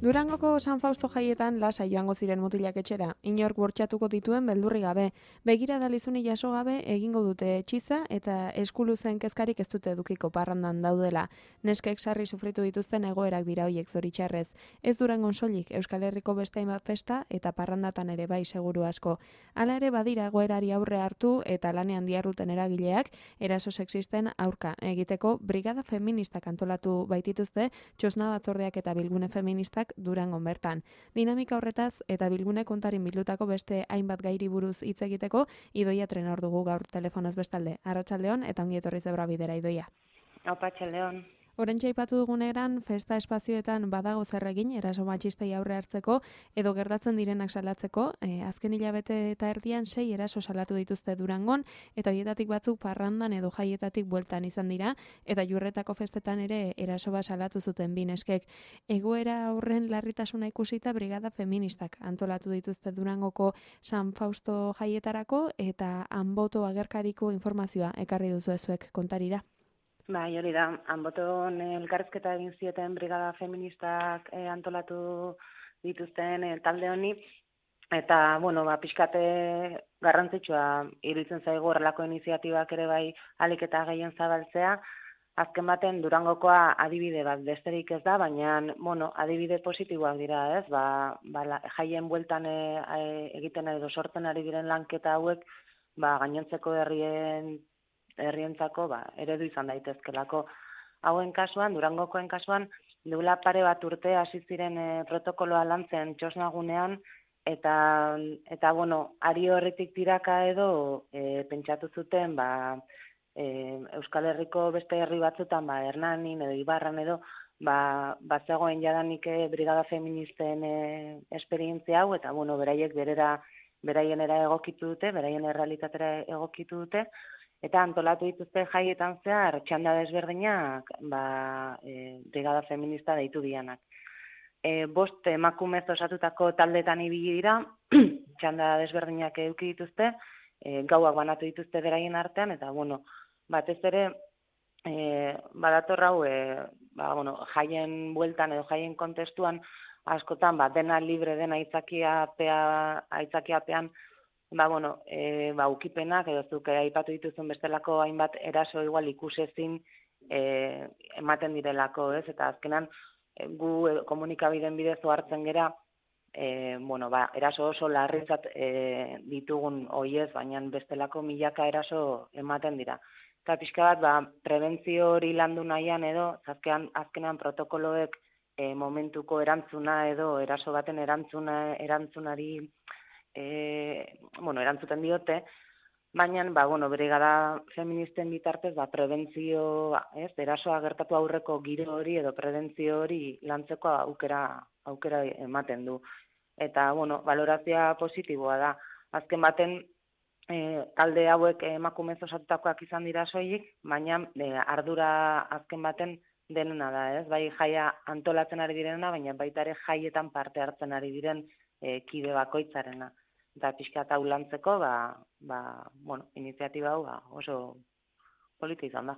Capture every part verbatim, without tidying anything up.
Durangoko San Fausto jaietan lasa joango ziren mutilak etxera, inork bortxatuko dituen beldurri gabe. Begira dalizuni jaso gabe egingo dute etxiza eta eskuluzen kezkarik ez dute edukiko parrandan daudela. Neskek sarri sufritu dituzten egoerak dira hoiek zoritxarrez. Ez Durangon soilik Euskal Herriko beste hainbat festa eta parrandatan ere bai seguru asko. Hala ere badira egoerari aurre hartu eta lanean diarruten eragileak eraso sexisten aurka egiteko brigada feministak antolatu baitituzte txosna batzordeak eta bilgune feministak Durangon bertan. Dinamika horretaz eta bilgune kontarin bildutako beste hainbat gairi buruz hitz egiteko Idoia Trenor dugu gaur telefonoz bestalde. Arratsaldeon eta ongi etorri Zebra Bidera, Idoia. Arratsaldeon. Oraintxe aipatu duguneran festa espazioetan badago zer egin eraso matxistei aurre hartzeko edo gertatzen direnak salatzeko. E, azken hilabete eta erdian sei eraso salatu dituzte Durangon eta horietatik batzuk parrandan edo jaietatik bueltan izan dira eta Jurretako festetan ere eraso bat salatu zuten bi neskek. Egoera horren larritasuna ikusita brigada feministak antolatu dituzte Durangoko San Fausto jaietarako eta Anboto agerkariko informazioa ekarri duzu zuek kontarira. Bai, hori da, Anboton elkarrizketa egin zieten brigada feministak eh, antolatu dituzten eh, talde honi, eta, bueno, ba, pixkate garrantzitsua iruditzen zaigu horrelako iniziatibak ere bai ahalik eta gehien zabaltzea. Azken baten Durangokoa adibide bat besterik ez da, baina, bueno, adibide positiboak dira, ez? Ba, ba, la, jaien bueltan e, e, egiten edo sortzen ari diren lanketa hauek, ba, gainontzeko herrien herrientzako ba, eredu izan daitezkelako. Hauen kasuan, Durangokoen kasuan, duela pare bat urte hasi ziren e, protokoloa lantzen txosnagunean, eta, eta bueno, ari horretik tiraka edo e, pentsatu zuten, ba, e, Euskal Herriko beste herri batzutan, ba, Hernanin edo Ibarran edo, ba, bazegoen jadanik e, brigada feministen e, esperientzia hau, eta bueno, beraiek berera, beraienera egokitu dute, beraien errealitatera egokitu dute, eta antolatu dituzte jaietan zehar txanda desberdinak ba, e, brigada feminista deitu dianak. E, bost emakumez osatutako taldetan ibili dira, txanda desberdinak eduki dituzte, e, gauak banatu dituzte beraien artean, eta bueno, batez ere e, badator hau e, ba, bueno, jaien bueltan edo jaien kontestuan askotan ba, dena libre dena aitzakiapea, aitzakiapean Ba, bueno, e, ba, ukipenak, edo zuk aipatu dituzun bestelako hainbat eraso igual ikusezin e, ematen direlako, ez? Eta azkenan, e, gu e, komunikabideen bidez hartzen gera, e, bueno, ba, eraso oso larritzat e, ditugun oiez, baina bestelako milaka eraso ematen dira. Eta pixka bat, ba, prebentzio hori landu nahian edo, azkenan, azkenan protokoloek e, momentuko erantzuna edo eraso baten erantzuna, erantzunari E, bueno, erantzuten diote, baina, ba, bueno, brigada feministen bitartez, ba, prebentzio, ez, erasoa gertatu aurreko giro hori edo prebentzio hori lantzeko aukera, aukera ematen du. Eta, bueno, valorazioa positiboa da. Azken baten, e, talde hauek emakumez osatutakoak izan dira soilik, baina e, ardura azken baten denena da, ez? Bai jaia antolatzen ari direna, baina baita ere jaietan parte hartzen ari diren e, kide bakoitzarena. Eta pixka eta ulantzeko, ba, ba, bueno, iniziatiba hau ba, oso polita izan da.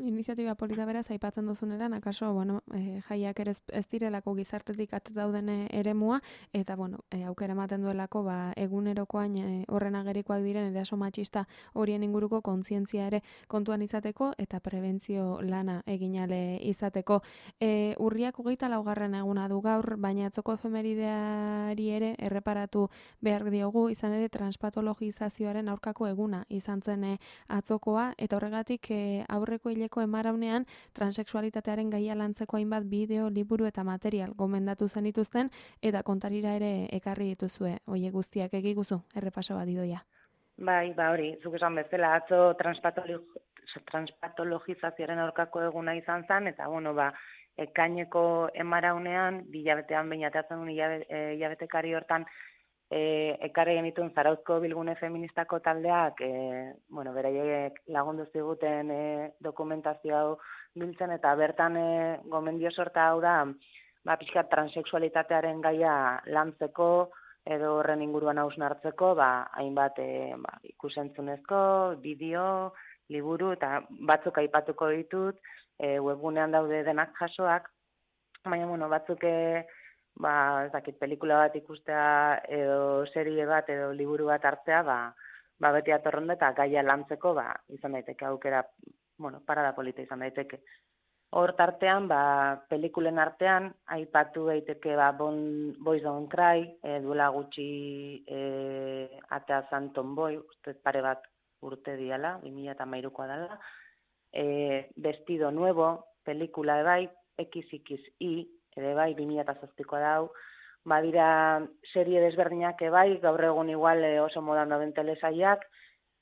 Iniziatiba polita beraz, aipatzen duzuneran, akaso, bueno, e, jaiak ere ez direlako gizartetik at dauden eremua, eta, bueno, e, aukera ematen duelako, ba, egunerokoan e, horren agerikoak diren eraso matxista horien inguruko kontzientzia ere kontuan izateko, eta prebentzio lana eginale izateko. E, urriak hogeita laugarren eguna du gaur, baina atzoko efemerideari ere erreparatu behar diogu, izan ere transpatologizazioaren aurkako eguna izan zen e, atzokoa, eta horregatik e, aurreko hileko emaraunean transexualitatearen gaia lantzeko hainbat bideo, liburu eta material gomendatu zenituzten eta kontarira ere ekarri dituzue. Oie guztiak egiguzu, errepaso bat Idoia. Bai, ba hori, zuk esan bezala, atzo transpatologizazioaren aurkako eguna izan zen, eta bueno, ba, ekaineko emaraunean, bilabetean behinatatzen duen hilabetekari hortan, E, ekarri genituen Zarauzko bilgune feministako taldeak, e, bueno, beraiek lagundu ziguten e, dokumentazio hau biltzen, eta bertan e, gomendio sorta hau da, ba, pixka transexualitatearen gaia lantzeko, edo horren inguruan hausnartzeko, ba, hainbat e, ba, ikusentzunezko, bideo, liburu, eta batzuk aipatuko ditut, e, webgunean daude denak jasoak, baina, bueno, batzuk e, ba, ez dakit, pelikula bat ikustea edo serie bat edo liburu bat hartzea, ba, ba beti atorronda eta gaia lantzeko, ba, izan daiteke aukera, bueno, parada polita izan daiteke. Hor tartean, ba, pelikulen artean, aipatu daiteke ba, bon, Boys Don't Cry, e, duela gutxi e, atea zan Tomboy, uste pare bat urte diala, bi mila hamairukoa dela, e, Vestido Nuevo, pelikula ebai, X X I, ere bai, bi mila zazpikoa dau, badira serie desberdinak ebai, gaur egun igual e, oso modan dauden telesaiak,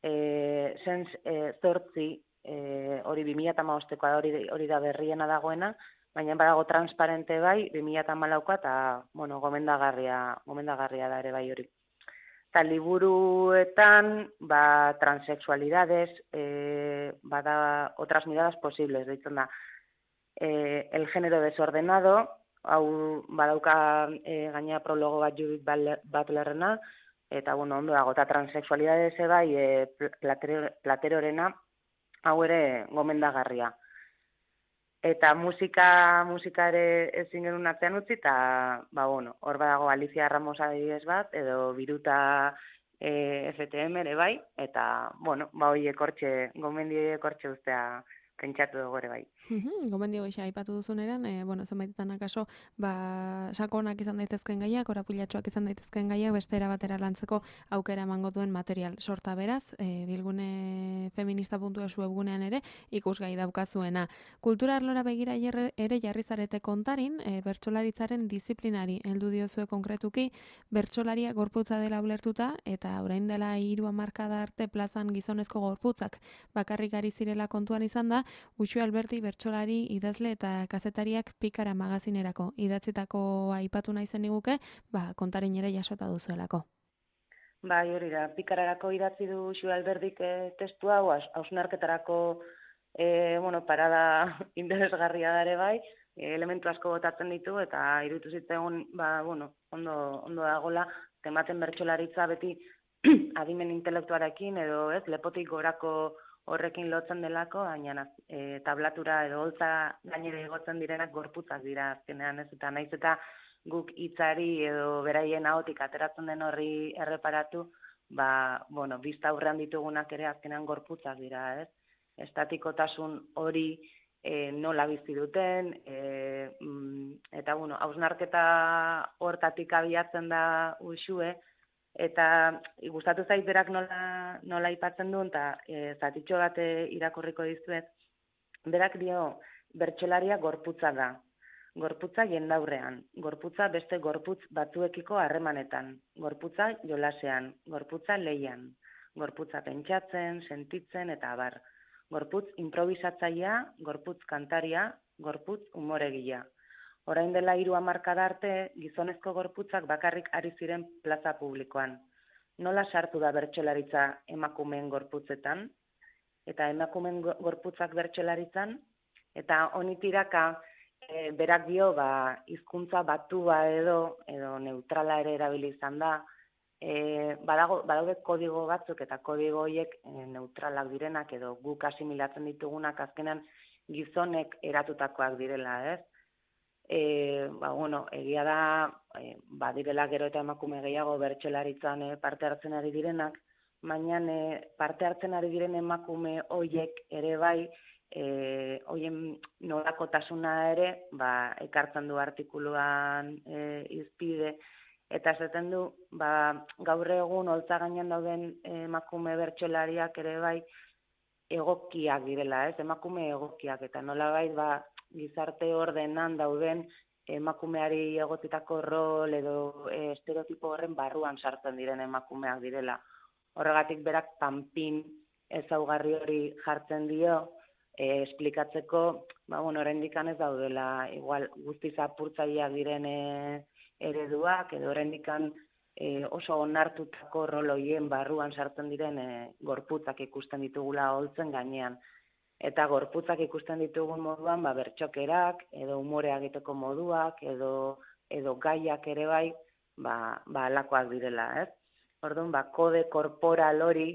e, Sens e, zortzi, E, hori bi mila hamabostekoa da, hori, hori da berriena dagoena, baina badago transparente bai, bi mila hamalaukoa eta, bueno, gomendagarria, gomendagarria da ere bai hori. Eta liburuetan, ba, transexualidades, e, bada otras miradas posibles, deitzen da, e, el género desordenado, hau badauka e, gaina prologo bat Judith Butlerrena, eta, bueno, ondo dago, eta transexualidades bai, e, platerorena, hau ere gomendagarria. Eta musika, musika ere ezin genuen artean utzi, eta, ba, bueno, hor badago Alicia Ramos adibidez bat, edo Biruta e, F T M ere bai, eta, bueno, ba, hoi ekortxe, gomendi ekortxe ustea pentsatu dugu ere bai. Gomendio gisa aipatu duzuneran, e, bueno, zenbaitetan akaso, ba, sakonak izan daitezken gaiak, orapulatxoak izan daitezken gaiak, bestera batera lantzeko aukera emango duen material sorta beraz, e, bilgune feminista puntu esu webgunean ere, ikusgai daukazuena. Kultura arlora begira ere jarri zarete kontarin, e, bertsolaritzaren disiplinari heldu diozue konkretuki, bertsolaria gorputza dela ulertuta, eta orain dela hiru hamarkada arte plazan gizonezko gorputzak bakarrik ari zirela kontuan izan da, Uxue Alberti bertsolari, idazle eta kazetariak Pikara magazinerako idatzitako aipatu nahi zen iguke, ba, kontarin ere jasota duzuelako. Bai, hori da, Pikararako idatzi du Uxue Albertik e, testu hau, hausnarketarako e, bueno, parada interesgarria dare bai, e, elementu asko botatzen ditu, eta irutu zitzaigun, ba, bueno, ondo, ondo dagola, tematen bertsolaritza beti adimen intelektuarekin, edo ez, lepotik gorako horrekin lotzen delako, baina e, tablatura edo holtza gainera igotzen direnak gorputzak dira azkenean, ez? Eta naiz eta guk hitzari edo beraien ahotik ateratzen den horri erreparatu, ba, bueno, bizta aurrean ditugunak ere azkenean gorputzak dira, ez? Estatikotasun hori e, nola bizi duten, e, eta, bueno, hausnarketa hortatik abiatzen da Uxue, eta gustatu zait berak nola, nola aipatzen duen, eta e, zatitxo bat irakurriko dizuet, berak dio bertsolaria gorputza da, gorputza jendaurrean, gorputza beste gorputz batzuekiko harremanetan, gorputza jolasean, gorputza leian, gorputza pentsatzen, sentitzen eta abar, gorputz improvisatzailea, gorputz kantaria, gorputz umoregila. Orain dela hiru hamarkada arte, gizonezko gorputzak bakarrik ari ziren plaza publikoan. Nola sartu da bertsolaritza emakumeen gorputzetan, eta emakumeen gorputzak bertsolaritzan, eta honitiraka e, berak dio, ba, hizkuntza batua edo, edo neutrala ere erabili izan da, e, badago, badaude kodigo batzuk, eta kodigo horiek e, neutralak direnak, edo guk asimilatzen ditugunak azkenan gizonek eratutakoak direla, ez? E, ba, bueno, egia da, e, badirela gero eta emakume gehiago bertsolaritzan e, parte hartzen ari direnak, baina e, parte hartzen ari diren emakume hoiek ere bai, e, hoien nolakotasuna ere, ba, ekartzen du artikuluan e, izpide, eta esaten du, ba, gaur egun holtza gainean dauden emakume bertsolariak ere bai, egokiak direla, ez, emakume egokiak, eta nolabait, ba, gizarte ordenan dauden emakumeari egotitako rol edo e, estereotipo horren barruan sartzen diren emakumeak direla. Horregatik berak panpin ezaugarri hori jartzen dio, e, esplikatzeko, ba, bueno, oraindik ez daudela, igual guztiz apurtzaileak diren e, ereduak, edo oraindik e, oso onartutako rol horien barruan sartzen diren e, gorputzak ikusten ditugula holtzen gainean. Eta gorputzak ikusten ditugun moduan, ba, bertxokerak, edo umorea egiteko moduak, edo, edo gaiak ere bai, ba, ba alakoak direla, ez? Orduan, ba, kode korporal hori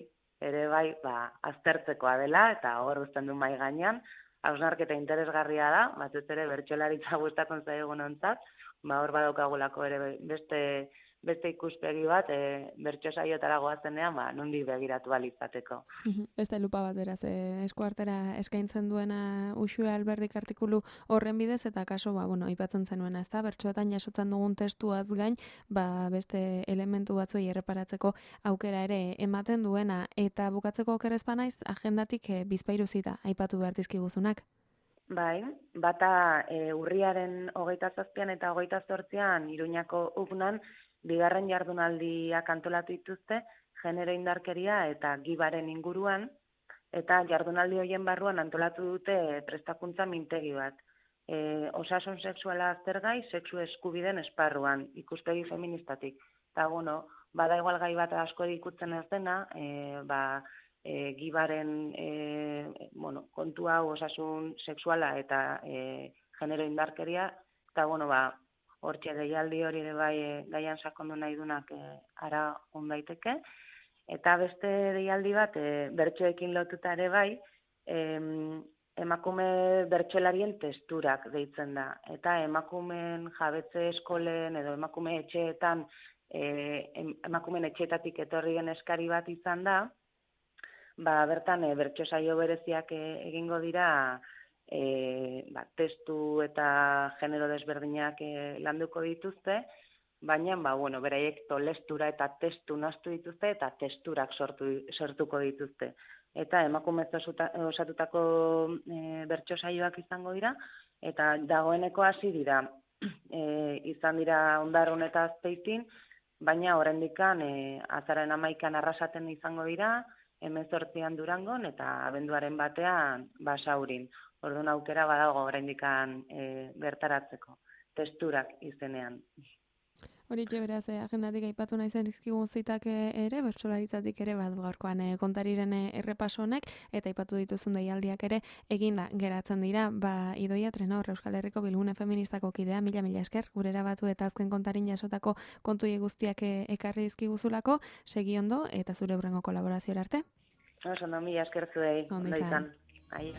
ere bai, ba, aztertzekoa dela, eta hor uzten du mai gainean, hausnarketa interesgarria da, batez ere bertsolaritza gustatzen zaigunontzat, ba hor badaukagulako ere beste beste ikuspegi bat, e, bertso saiotara goazenean, ba, nondik begiratu ahal izateko. Beste lupa bat beraz, e, eskuartera eskaintzen duena Uxue Alberdik artikulu horren bidez, eta kaso, ba, bueno, aipatzen zenuena, ezta, bertsoetan jasotzen dugun testuaz gain, ba, beste elementu batzuei erreparatzeko aukera ere ematen duena, eta bukatzeko okerrezpa naiz, agendatik e, bizpahiru zita aipatu behar dizkiguzunak. Bai, bata e, urriaren hogeita zazpian eta hogeita zortzian Iruñako ugnan, bigarren jardunaldiak antolatu dituzte, genero indarkeria eta gibaren inguruan, eta jardunaldi horien barruan antolatu dute prestakuntza mintegi bat. E, osasun sexuala aztergai, sexu eskubiden esparruan, ikuspegi feministatik. Eta, bueno, bada igual gai bat asko ikutzen ez dena, e, ba, e, gibaren e, bueno, kontu hau osasun sexuala eta e, genero indarkeria, eta, bueno, ba, hortxe deialdi hori ere bai e, gaian sakondu nahi dunak e, ara ondaiteke. Eta beste deialdi bat, e, bertsoekin lotuta ere bai, e, emakume bertsolarien testurak deitzen da. Eta emakumeen jabetze eskolen edo emakume etxeetan, e, emakumeen etxeetatik etorri den eskari bat izan da, ba, bertan e, bertso saio bereziak e, egingo dira, E, ba, testu eta genero desberdinak e, landuko dituzte, baina ba, bueno, beraiek tolestura eta testu naztu dituzte eta testurak sortu, sortuko dituzte. Eta emakumez osatutako e, bertso saioak izango dira, eta dagoeneko hasi dira, e, izan dira Ondarrun eta Azpeitin, baina oraindikan e, azararen hamaikan Arrasaten izango dira, hemezortzian Durangon eta abenduaren batean Basaurin. Orduan aukera badago oraindikan e, bertaratzeko, testurak izenean. Horitxe beraz, eh, agendatik aipatu nahi zen dizkigun zitak ere, bertsolaritzatik ere bat gaurkoan eh, kontariren errepaso honek, eta aipatu dituzun deialdiak ere eginda geratzen dira, ba Idoia Trenor, Euskal Herriko Bilgune Feministako kidea, mila mila esker, gurera batu eta azken kontarin jasotako kontuie guztiak ekarri dizkiguzulako, segi ondo, eta zure hurrengo kolaborazioa arte. Oso, no, mila esker zuei, ondo izan. Aio.